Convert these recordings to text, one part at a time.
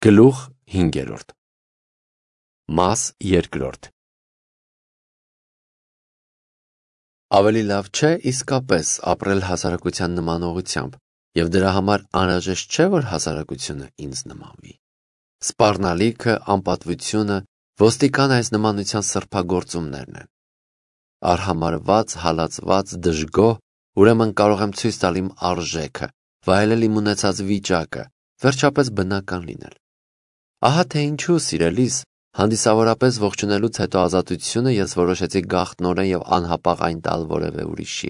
Գլուխ 5. Մաս 2. Ավելի լավ չէ իսկապես ապրել հասարակության նմանողությամբ, և դրա համար անհրաժեշտ չէ, որ հասարակությունը ինձ նմանվի։ Սպառնալիքը, անպատվությունը, ոստիկան այս նմանության սրբագործումներն են։ Արհամարհված, հալածված, դժգոհ, ուրեմն կարող եմ ցույց տալ իմ արժեքը, վայելել իմ ունեցած վիճակը, վերջապես բնական լինել։ Ահա թե ինչու, սիրելիս, հանդիսավորապես ողջունելուց հետո ազատությունը ես որոշեցի գաղտնորեն և անհապաղ այն տալ որևէ ուրիշի։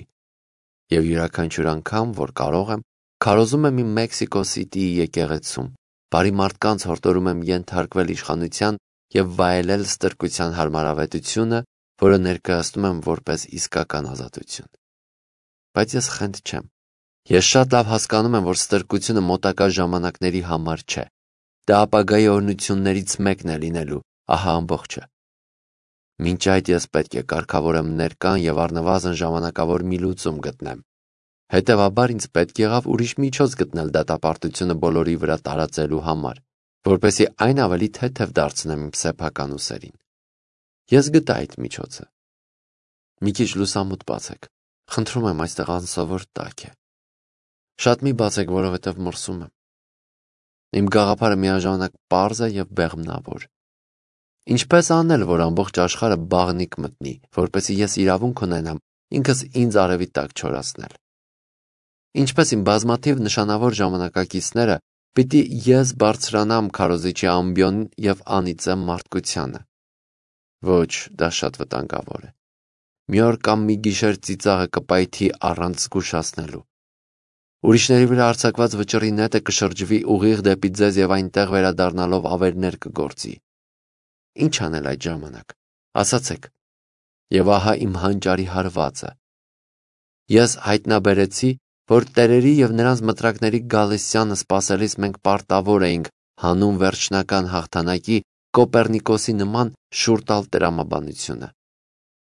Եվ յուրաքանչյուր անգամ, որ կարող եմ, քարոզում եմ իմ Մեքսիկո Սիթիի եկեղեցում, բարի մարդկանց հորդորում եմ ենթարկվել իշխանության և վայելել ստրկության հարմարավետությունը, որը ներկայացնում եմ որպես իսկական ազատություն։ Բայց ես խենթ չեմ։ Ես շատ լավ հասկանում եմ, որ ստրկությունը մոտակա ժամանակների համար չէ։ Դա ապագայի օրհնություններից մեկն է լինելու, ահա ամբողջը։ Մինչ այդ ես պետք է կարգավորեմ ներկան և առնվազն ժամանակավոր մի լուծում գտնեմ։ Հետևաբար ինձ պետք եղավ ուրիշ միջոց գտնել դատապարտությունը բոլորի վրա տարածելու համար, որպեսզի այն ավելի թեթև դարձնեմ իմ սեփական ուսերին։ Ես գտա այդ միջոցը։ Մի քիչ լուսամուտ բացեք, խնդրում եմ, այստեղ անսովոր տաք է։ Շատ մի բացեք, որովհետև մրսում եմ։ Իմ գաղափարը միաժամանակ պարզ է և բեղմնավոր։ Ինչպես անել, որ ամբողջ աշխարհը բաղնիք մտնի, որպեսզի ես իրավունք ունենամ ինքս ինձ արևի տակ չորացնել։ Ինչպես իմ բազմաթիվ նշանավոր ժամանակակիցները, պիտի ես բարձրանամ քարոզիչի ամբիոն և անիծեմ մարդկությանը։ Ոչ, դա շատ վտանգավոր է։ Մի օր կամ մի գիշեր ծիծաղը կպայթի առանց զգուշացնելու։ Ուրիշների վրա արձակված վճռի նետը կշրջվի ուղիղ դեպի ձեզ և այնտեղ վերադառնալով ավերներ կգործի։ Ինչ անել այդ ժամանակ, ասացեք։ Եվ ահա իմ հանճարի հարվածը։ Ես հայտնաբերեցի, որ տերերի և նրանց մտրակների գալստյանը սպասելիս մենք պարտավոր էինք հանուն վերջնական հաղթանակի Կոպեռնիկոսի նման շուռ տալ տրամաբանությունը։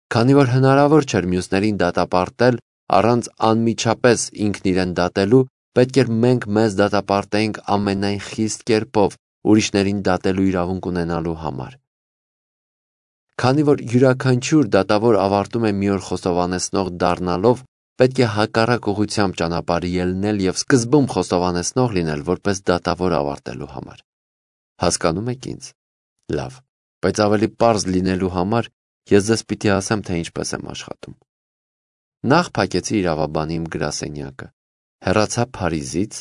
Քանի որ հնարավոր չէր մյուսներին դատապարտել առանց անմիջապես ինքն իրեն դատելու, պետք էր մենք մեզ դատապարտեինք ամենայն խիստ կերպով ուրիշներին դատելու իրավունք ունենալու համար։ Քանի որ յուրաքանչյուր դատավոր ավարտում է մի օր խոստովանեցնող դառնալով, պետք է հակառակ ուղղությամբ ճանապարհ ելնել և սկզբում խոստովանեցնող լինել, որպես դատավոր ավարտելու համար։ Հասկանում եք ինձ։ Լավ, բայց ավելի պարզ լինելու համար ես ձեզ պիտի ասեմ, թե ինչպես եմ աշխատում։ Նախ փակեցի իրավաբանի իմ գրասենյակը, հեռացա Փարիզից,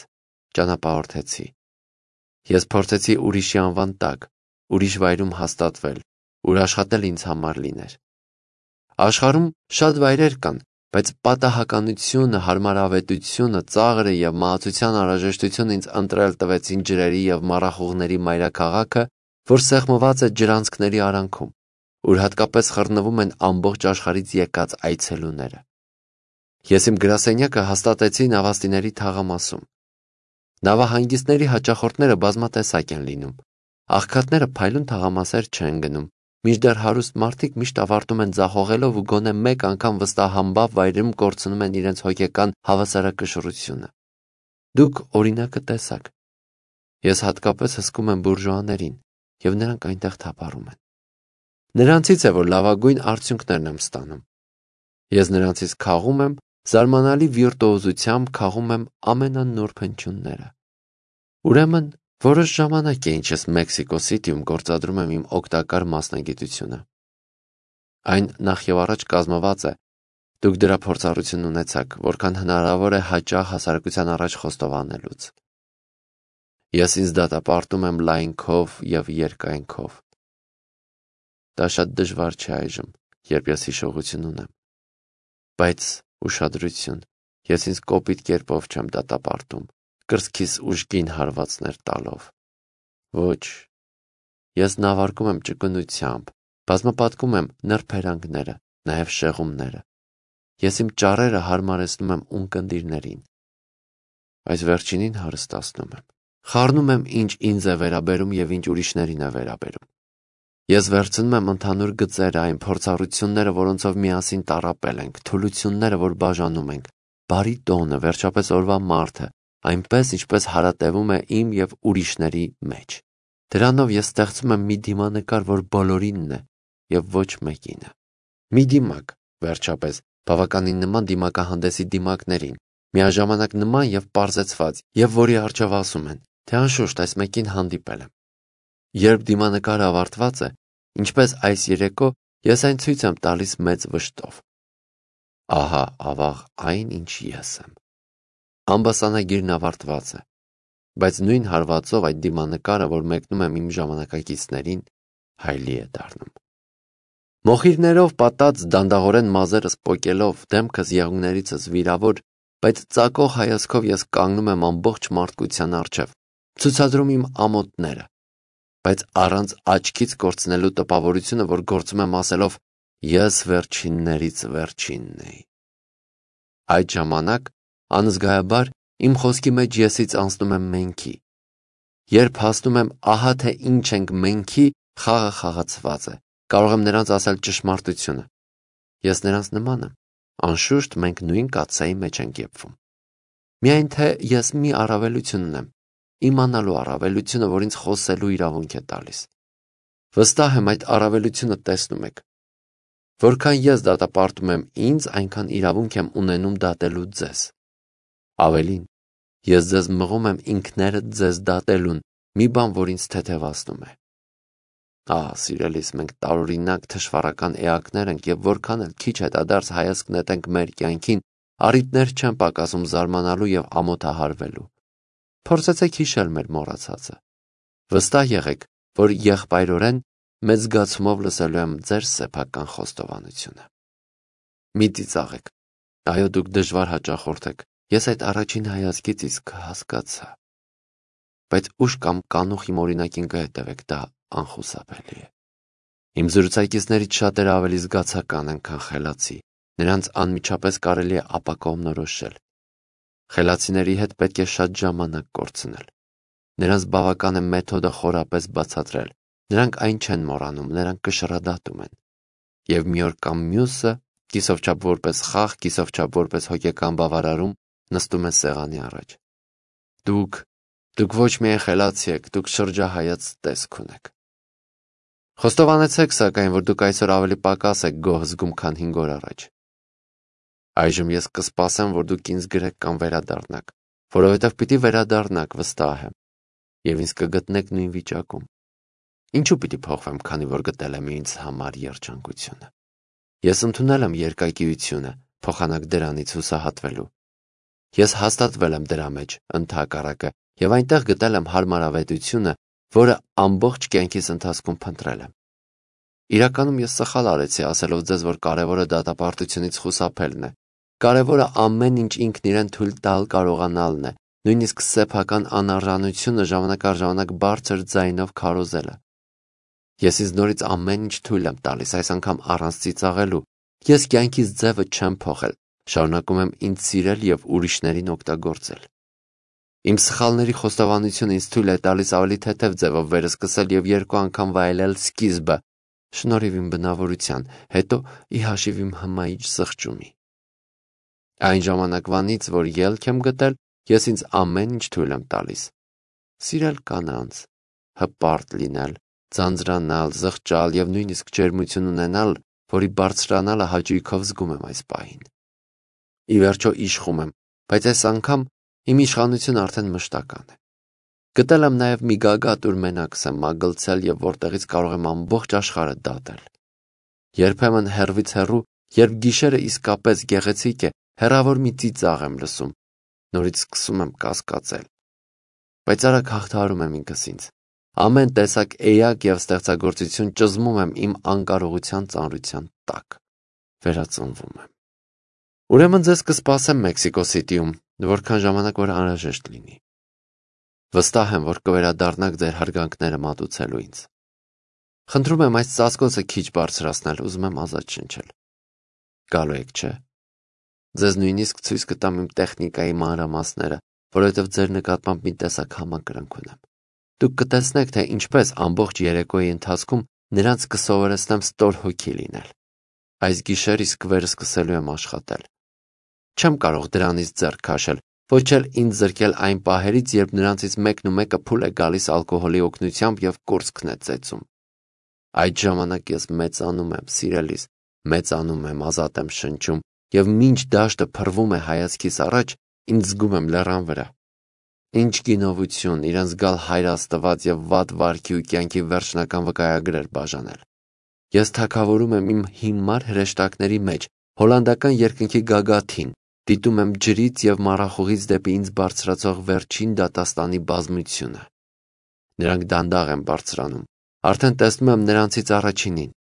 ճանապարհորդեցի։ Ես փորձեցի ուրիշի անվան տակ, ուրիշ վայրում հաստատվել, ուր աշխատել ինձ համար լիներ։ Աշխարհում շատ վայրեր կան, բայց պատահականությունը, հարմարավետությունը, ծաղրը և մահացության անհրաժեշտությունը ինձ ընտրել տվեցին ջրերի և մառախուղների մայրաքաղաքը, որ սեղմված է ջրանցքների արանքում, ուր հատկապես խռնվում են ամբողջ աշխարհից եկած այցելուները։ Ես իմ գրասենյակը հաստատեցի նավաստիների թաղամասում։ Նավահանգիստների հաճախորդները բազմատեսակ են լինում։ Աղքատները փայլուն թաղամասեր չեն գնում, մինչդեռ հարուստ մարդիկ միշտ ավարտում են ձախողելով ու գոնե մեկ անգամ վստահամբավ վայրում կորցնում են իրենց հոգեկան հավասարակշռությունը։ Դուք օրինակը տեսաք։ Ես հատկապես հսկում եմ բուրժուաներին, և նրանք այնտեղ թափառում են։ Նրանցից է, որ լավագույն արդյունքներն եմ ստանում։ Ես նրանցից քաղում եմ, զարմանալի վիրտուոզությամբ քաղում եմ ամենանուրբ հնչյունները։ Ուրեմն, որոշ ժամանակ է, ինչ ես Մեքսիկո Սիթիում գործադրում եմ իմ օգտակար մասնագիտությունը։ Այն նախ և առաջ կազմված է, դուք դրա փորձառություն ունեցաք, որքան հնարավոր է հաճախ հասարակության առաջ խոստովանելուց։ Ես ինձ դատապարտում եմ լայնքով և երկայնքով։ Դա շատ դժվար չէ այժմ, երբ ես հիշողություն ունեմ։ Բայց ուշադրություն, ես ինձ կոպիտ կերպով չեմ դատապարտում, կրծքիս ուժգին հարվածներ տալով։ Ոչ, ես նավարկում եմ ճկունությամբ, բազմապատկում եմ նրբերանգները, նաև շեղումները։ Ես իմ ճառերը հարմարեցնում եմ ունկնդիրներին։ Այս վերջինին հարստացնում եմ։ Խառնում եմ, ինչ ինձ է վերաբերում և ինչ ուրիշներին է վերաբերում։ Ես վերցնում եմ ընդհանուր գծերը, այն փորձառությունները, որոնցով միասին տառապել ենք, թուլությունները, որ բաժանում ենք, բարի տոնը, վերջապես օրվա մարդը, այնպես, ինչպես հարատևում է իմ և ուրիշների մեջ։ Դրանով ես ստեղծում եմ մի դիմանկար, որ բոլորինն է և ոչ մեկինը։ Մի դիմակ, վերջապես, բավականին նման դիմակահանդեսի դիմակներին, միաժամանակ նման և պարզեցված, և որի առջև ասում են, թե անշուշտ այս մեկին հանդիպել եմ։ Երբ դիմանկարը ավարտված է, ինչպես այս երեկո, ես այն ցույց եմ տալիս մեծ վշտով։ Ահա ավաղ այն, ինչ ես եմ։ Ամբասանագիրն ավարտված է, բայց նույն հարվածով այդ դիմանկարը, որ մեկնում եմ իմ ժամանակակիցներին, հայլի է դառնում։ Մոխիրներով պատած դանդաղորեն մազերս պոկելով, դեմքս եղունգներիցս վիրավոր, բայց ծակող հայացքով ես կանգնում եմ ամբողջ մարդկության առջև, ցուցադրում իմ ամոթները, բայց առանց աչքից կորցնելու տպավորությունը, որ գործում եմ ասելով ես վերջիններից վերջինն էի։ Այդ ժամանակ անզգայաբար իմ խոսքի մեջ եսից անցնում եմ մենքի։ Երբ հասնում եմ ահա թե ինչ ենք մենքի, խաղը խաղացված է, կարող եմ նրանց ասել ճշմարտությունը։ Ես նրանց նման եմ, անշուշտ մենք նույն կաթսայի մեջ ենք եփվում։ Միայն թե ես մի առավելություն ունեմ, իմանալու առավելությունը, որ ինձ խոսելու իրավունք է տալիս։ Վստահ եմ այդ առավելությունը տեսնում եք։ Որքան ես դատապարտում եմ ինձ, այնքան իրավունք եմ ունենում դատելու ձեզ։ Ավելին, ես ձեզ մղում եմ ինքներդ ձեզ դատելուն, մի բան, որ ինձ թեթևացնում է։ Սիրելիս, մենք տարօրինակ թշվառական էակներ ենք և որքան էլ քիչ հետադարձ հայացք նետենք մեր կյանքին, առիթներ չեն պակասում զարմանալու և ամոթահարվելու։ Փորձեցեք հիշել մեր մոռացածը։ Վստահ եղեք, որ եղբայրորեն մեծ զգացումով լսելու եմ ձեր սեփական խոստովանությունը։ Մի ծիծաղեք։ Այո, դուք դժվար հաճախորդ եք։ Ես այդ առաջին հայացքից իսկ հասկացա։ Բայց ուշ կամ կանուխ իմ օրինակին կհետևեք, դա անխուսափելի է։ Իմ զրուցակիցներից շատերը ավելի զգացական են, քան խելացի։ Նրանց անմիջապես կարելի է ապակողմնորոշել։ Խելացիների հետ պետք է շատ ժամանակ կորցնել։ Նրանց բավական է մեթոդը խորապես բացատրել։ Նրանք այն չեն մոռանում, նրանք կշռադատում են։ Եվ մի օր կամ մյուսը, կիսով չափ որպես խաղ, կիսով չափ որպես հոգեկան բավարարում, նստում է սեղանի առաջ։ Դուք ոչ միայն խելացի եք, դուք շրջահայաց տեսք ունեք։ Խոստովանեցեք, սակայն, որ դուք այսօր ավելի պակաս եք գոհ զգում, քան 5 օր առաջ։ Այժմ ես կսպասեմ, որ դուք ինձ գրեք կամ վերադառնաք, որովհետև պիտի վերադառնաք, վստահ եմ, և ինձ կգտնեք նույն վիճակում։ Ինչու պիտի փոխվեմ, քանի որ գտել եմ ինձ համար երջանկությունը։ Ես ընդունել եմ երկակիությունը, փոխանակ դրանից հուսահատվելու։ Ես հաստատվել եմ դրա մեջ, ընդհակառակը, և այնտեղ գտել եմ հարմարավետությունը, որը ամբողջ կյանքիս ընթացքում փնտրել եմ։ Իրականում ես սխալ արեցի ասելով ձեզ, որ կարևորը դատապարտությունից խուսափելն է։ Կարևորը ամեն ինչ ինքն իրեն թույլ տալ կարողանալն է, նույնիսկ սեփական անարժանությունը ժամանակ առ ժամանակ բարձր ձայնով քարոզելը։ Ես ինձ նորից ամեն ինչ թույլ եմ տալիս, այս անգամ առանց ծիծաղելու։ Ես կյանքիս ձևը չեմ փոխել, շարունակում եմ ինձ սիրել և ուրիշներին օգտագործել։ Իմ սխալների խոստովանությունը ինձ թույլ է տալիս ավելի թեթև ձևով վերսկսել և 2 անգամ վայելել սկիզբը, շնորհիվ իմ բնավորության, հետո ի հաշիվ իմ հմայիչ սղճումի։ Այն ժամանակվանից, որ ելք եմ գտել, ես ինձ ամեն ինչ թույլ եմ տալիս։ Սիրել կանանց, հպարտ լինել, ձանձրանալ, զղջալ և նույնիսկ ջերմություն ունենալ, որի բարձրանալը հաճույքով զգում եմ այս պահին։ Ի վերջո իշխում եմ, բայց այս անգամ իմ իշխանությունը արդեն մշտական է։ Գտել եմ նաև մի գագաթ, ուր մենակս եմ մագլցել և որտեղից կարող եմ ամբողջ աշխարհը դատել։ Երբեմն հեռվից հեռու, երբ գիշերը իսկապես գեղեցիկ է, հեռավոր մի ծիծաղ եմ լսում, նորից սկսում եմ կասկածել։ Բայց արագ հաղթահարում եմ ինքս ինձ։ Ամեն տեսակ էակ և ստեղծագործություն ճզմում եմ իմ անկարողության ծանրության տակ։ Վերածնվում եմ։ Ուրեմն ձեզ կսպասեմ Մեքսիկո Սիթիում, որքան ժամանակ որ անհրաժեշտ լինի։ Վստահ եմ, որ կվերադառնաք ձեր հարգանքները մատուցելու ինձ։ Խնդրում եմ այս ծածկոցը քիչ բարձրացնել, ուզում եմ ազատ շնչել։ Գալու եք, չէ՞։ Ձեզ նույնիսկ ցույց կտամ իմ տեխնիկայի մանրամասները, որովհետև ձեր նկատմամբ մի տեսակ համակրանք ունեմ։ Դուք կտեսնեք, թե ինչպես ամբողջ երեկոյի ընթացքում նրանց կսովորեցնեմ ստոր հոգի լինել։ Այս գիշեր իսկ վերսկսելու եմ աշխատել։ Չեմ կարող դրանից ձեռք քաշել, ոչ էլ ինձ զրկել այն պահերից, երբ նրանցից մեկն ու մեկը փուլ է գալիս ալկոհոլի օգնությամբ և կուրծքն է ծեծում։ Այդ ժամանակ ես մեծանում եմ, սիրելիս, մեծանում եմ, ազատ եմ շնչում, և մինչ դաշտը փռվում է հայացքիս առաջ, ինձ զգում եմ լեռան վրա։ Ինչ գինովություն, իրենց գալ Հայր Աստված և վատ վարքի ու կյանքի վերջնական վկայագրեր բաժանել։ Ես թագավորում եմ իմ հիմար հրեշտակների մեջ, հոլանդական երկնքի գագաթին, դիտում եմ ջրից և մառախուղից դեպի ինձ բարձրացող վերջին դատաստանի բազմությունը։ Նրանք դանդաղ են բարձրանում, արդեն տեսնում եմ նրանցից առաջինին։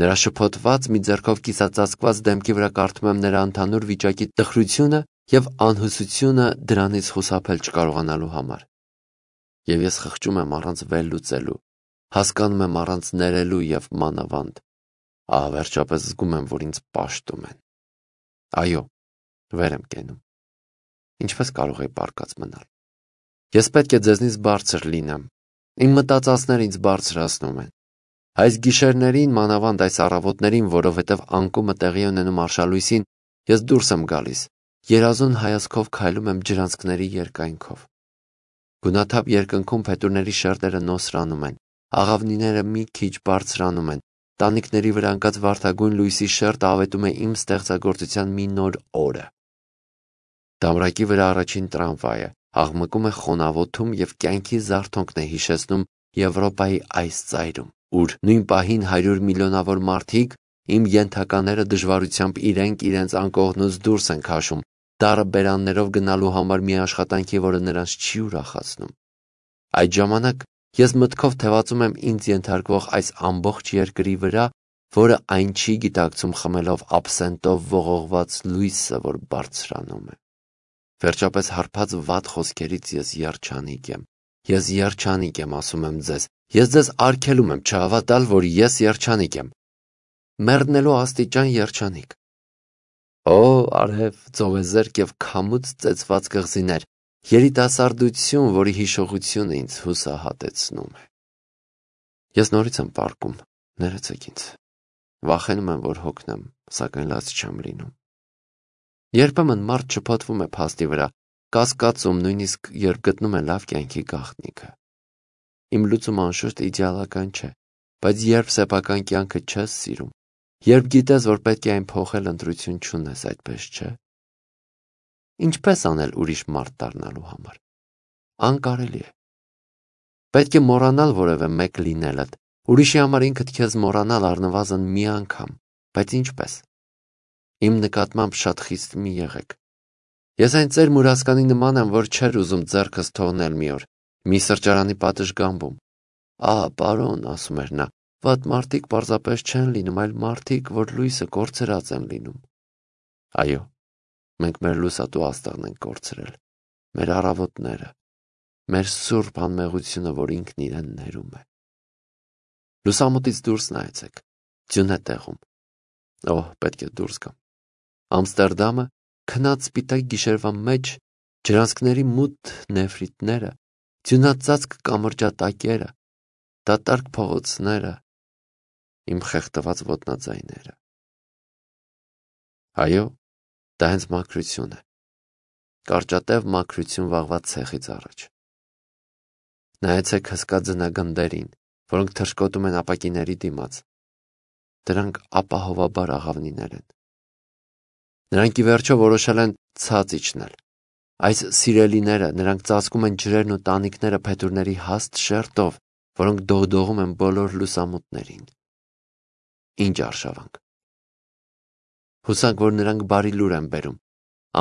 Նրա շփոթված մի ձեռքով կիսածածկված դեմքի վրա կարդում եմ նրա ընդհանուր վիճակի տխրությունը և անհուսությունը դրանից խուսափել չկարողանալու համար։ Եվ ես խղճում եմ առանց վերլուծելու, հասկանում եմ առանց ներելու և մանավանդ, վերջապես զգում եմ, որ ինձ պաշտում են։ Այո, վեր եմ կենում։ Ինչպես կարող էի պառկած մնալ։ Ես պետք է ձեզնից բարձր լինեմ։ Իմ մտածածները ինձ բարձրացնում են։ Այս գիշերներին, մանավանդ այս առավոտներին, որովհետև անկումը տեղի ունենում արշալույսին, ես դուրս եմ գալիս, երազուն հայացքով քայլում եմ ջրանցքների երկայնքով։ Գունաթափ երկնքում փետուրների շերտերը նոսրանում են, աղավնիները մի քիչ բարձրանում են, տանիքների վրա ընկած վարդագույն լույսի շերտը ավետում է իմ ստեղծագործության մի նոր օրը։ Դամրակի վրա առաջին տրամվայը աղմկում է խոնավոթում և կյանքի զարթոնքն է հիշեցնում Եվրոպայի այս ծայրում, ուր նույն պահին 100 միլիոնավոր մարդիկ, իմ ենթակաները դժվարությամբ իրենց անկողնուց դուրս են քաշում, դառը բերաններով գնալու համար մի աշխատանքի, որը նրանց չի ուրախացնում։ Այդ ժամանակ ես մտքով թևածում եմ ինձ ենթարկվող այս ամբողջ երկրի վրա, որը այն չի գիտակցում խմելով աբսենտով ողողված լույսը, որ բարձրանում է։ Վերջապես հարբած վատ խոսքերից ես երջանիկ եմ։ Ես երջանիկ եմ, ասում եմ ձեզ։ Ես ձեզ արգելում եմ չհավատալ, որ ես երջանիկ եմ։ Մեռնելու աստիճան երջանիկ։ Օ, արև, ծովեզերք և քամուց ծեծված կղզիներ, երիտասարդություն, որի հիշողությունը ինձ հուսահատեցնում է։ Ես նորից եմ պառկում, ներեցեք ինձ։ Վախենում եմ, որ հոգնեմ, սակայն լաց չեմ լինում։ Երբեմն մարդ շփոթվում է փաստի վրա, կասկածում, նույնիսկ երբ գտնում է լավ կյանքի գաղտնիքը։ Իմ լուծումը անշուշտ իդեալական չէ, բայց երբ սեփական կյանքը չես սիրում, երբ գիտես, որ պետք է այն փոխել, ընտրություն չունես, այդպես չէ։ Ինչպես անել ուրիշ մարդ դառնալու համար։ Անկարելի է։ Պետք է մոռանալ որևէ մեկ լինելդ, ուրիշի համար ինքդ քեզ մոռանալ առնվազն մի անգամ, բայց ինչպես։ Իմ նկատմամբ շատ խիստ մի եղեք։ Ես այն ծեր մուրացկանի նման եմ, որ չէր ուզում ձեռքս թողնել մի օր, մի սրճարանի պատշգամբում։ Պարոն, ասում էր նա, վատ մարդիկ պարզապես չեն լինում, այլ մարդիկ, որ լույսը կորցրած են լինում։ Այո, մենք մեր լուսատու աստղն ենք կորցրել, մեր առավոտները, մեր սուրբ անմեղությունը, որ ինքն իրեն ներում է։ Լուսամուտից դուրս նայեցեք, ձյուն է տեղում։ Պետք է դուրս գամ։ Ամստերդամը, քնած սպիտակ գիշերվա մեջ, ջրանցքների մութ նեֆրիտները, ձյունածածկ կամրջատակերը, դատարկ փողոցները, իմ խեղդված ոտնաձայները։ Այո, դա հենց մաքրություն է։ Կարճատև մաքրություն վաղվա ցեխից առաջ։ Նայեցեք հսկա ձնագնդերին, որոնք թռչկոտում են ապակիների դիմաց։ Դրանք ապահովաբար աղավնիներ են։ Նրանք ի վերջո որոշել են ցած իջնել։ Այս սիրելիները, նրանք ծածկում են ջրերն ու տանիքները փետուրների հաստ շերտով, որոնք դողդողում են բոլոր լուսամուտներին։ Ինչ արշավանք։ Հուսանք, որ նրանք բարի լուր են բերում։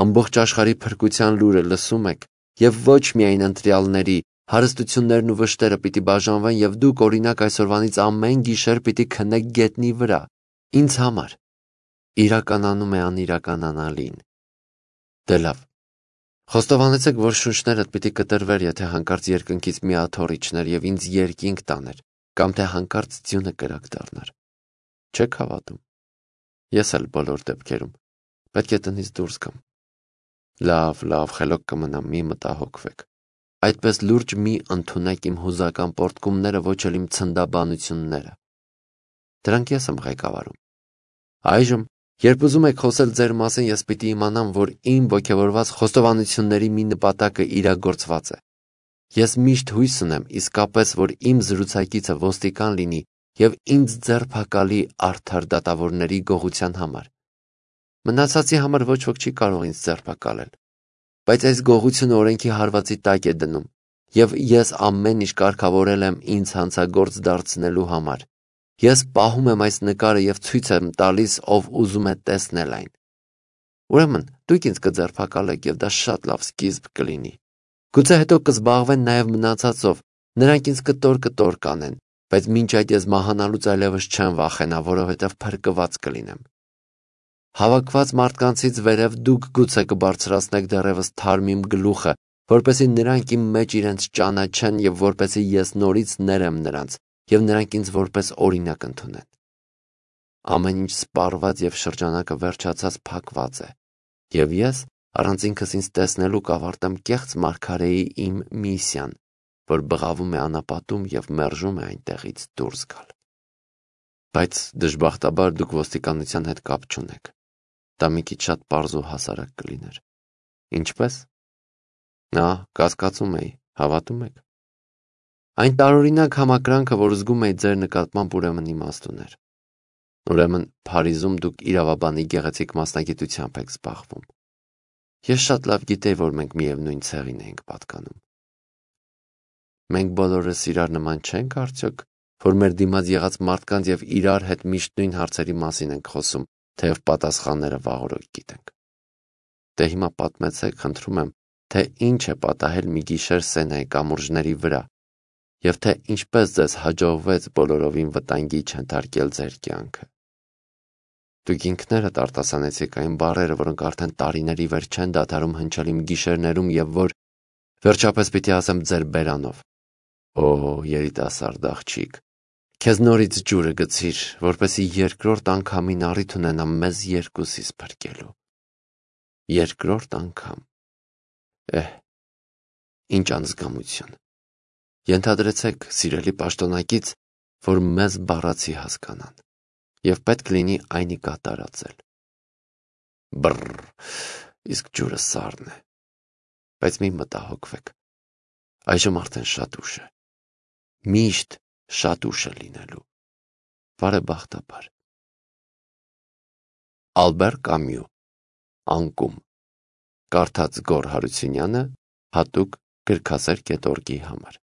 Ամբողջ աշխարհի փրկության լուրը լսում եք, և ոչ միայն ընտրյալների, հարստություններն ու վշտերը պիտի բաժանվեն, և դուք, օրինակ, այսօրվանից ամեն գիշեր պիտի քնեք գետնի վրա։ Ինձ համար իրականանում է անիրականանալին։ Դե լավ։ Խոստովանեցեք, որ շունչներդ պիտի կտրվեր, եթե հանկարծ երկնքից մի աթոռ իջներ և ինձ երկինք տաներ, կամ թե հանկարծ ձյունը կրակ դառնար։ Չեք հավատում։ Ես էլ բոլոր դեպքերում պետք է տնից դուրս գամ։ Լավ, խելոք կմնամ, մի մտահոգվեք։ Այդպես լուրջ մի ընդունեք իմ հուզական պոռթկումները, ոչ էլ իմ ցնդաբանությունները։ Դրանք ես եմ ղեկավարում։ Այժմ Երբ ուզում եք խոսել ձեր մասին, ես պիտի իմանամ, որ իմ ոգևորված խոստովանությունների մի նպատակը իրագործված է։ Ես միշտ հույս ունեմ իսկապես, որ իմ զրուցակիցը ոստիկան լինի և ինձ ձերբակալի արդար դատավորների գողության համար։ Մնացածի համար ոչ ոք չի կարող ինձ ձերբակալել, բայց այս գողությունը օրենքի հարվածի տակ է դնում, և ես ամեն ինչ կարգավորել եմ ինձ հանցագործ դարձնելու համար։ Ես պահում եմ այս նկարը և ցույց եմ տալիս, ով ուզում է տեսնել այն։ Ուրեմն, դուք ինձ կձերբակալեք, և դա շատ լավ սկիզբ կլինի։ Գուցե հետո կզբաղվեն նաև մնացածով, նրանք ինձ կտոր կանեն, բայց մինչ այդ ես մահանալուց այլևս չեմ վախենա, որովհետև փրկված կլինեմ։ Հավաքված մարդկանցից վերև դուք գուցե կբարձրացնեք դեռևս թարմ իմ գլուխը, որպեսզի նրանք իմ մեջ իրենց ճանաչեն և որպեսզի ես նորից ներեմ նրանց, և նրանք ինձ որպես օրինակ ընդունեն։ Ամեն ինչ սպառված և շրջանակը վերջացած փակված է, և ես առանց ինքս ինձ տեսնելու կավարտեմ կեղծ մարգարեի իմ միսիան, որ բղավում է անապատում և մերժում է այնտեղից դուրս գալ։ Բայց դժբախտաբար դուք ոստիկանության հետ կապ չունեք։ Դա մի քիչ շատ պարզ ու հասարակ կլիներ։ Ինչպե՞ս։ Կասկածում էի, հավատում եք։ Այն տարօրինակ համակրանքը, որ զգում էի ձեր նկատմամբ, ուրեմն իմաստ ուներ։ Ուրեմն Փարիզում դուք իրավաբանի գեղեցիկ մասնագիտությամբ եք զբաղվում։ Ես շատ լավ գիտեի, որ մենք միևնույն ցեղին ենք պատկանում։ Մենք բոլորս իրար նման չենք արդյոք, որ մեր դիմաց եղած մարդկանց և իրար հետ միշտ նույն հարցերի մասին ենք խոսում, թեև պատասխանները վաղօրոք գիտենք։ Դե հիմա պատմեցեք, խնդրում եմ, թե ինչ է պատահել մի գիշեր Սենայի կամուրջների վրա, և թե ինչպես ձեզ հաջողվեց բոլորովին վտանգի չենթարկել ձեր կյանքը։ Դուք ինքներդ արտասանեցիք այն բառերը, որոնք արդեն տարիների վերջ չեն դադարում հնչել իմ գիշերներում և որ, վերջապես պիտի ասեմ ձեր բերանով։ Երիտասարդ աղջիկ, քեզ նորից ջուրը գցիր, որպեսզի երկրորդ անգամին առիթ ունենամ մեզ երկուսիս փրկելու։ Երկրորդ անգամ։ Ինչ անձգամություն։ Ենթադրեցեք, սիրելի պաշտոնակից, որ մեզ բառացի հասկանան, և պետք լինի այնի կատարածել։ Իսկ ջուրը սառն է, բայց մի մտահոգվեք, այժմ արդեն շատ ուշ է, միշտ շատ ուշ է լինելու, բարեբախտաբար։ Ալբեր Կամյու, Անկում, կարդաց Գոռ Հարությունյանը, հատուկ գրքասեր.org-ի համար։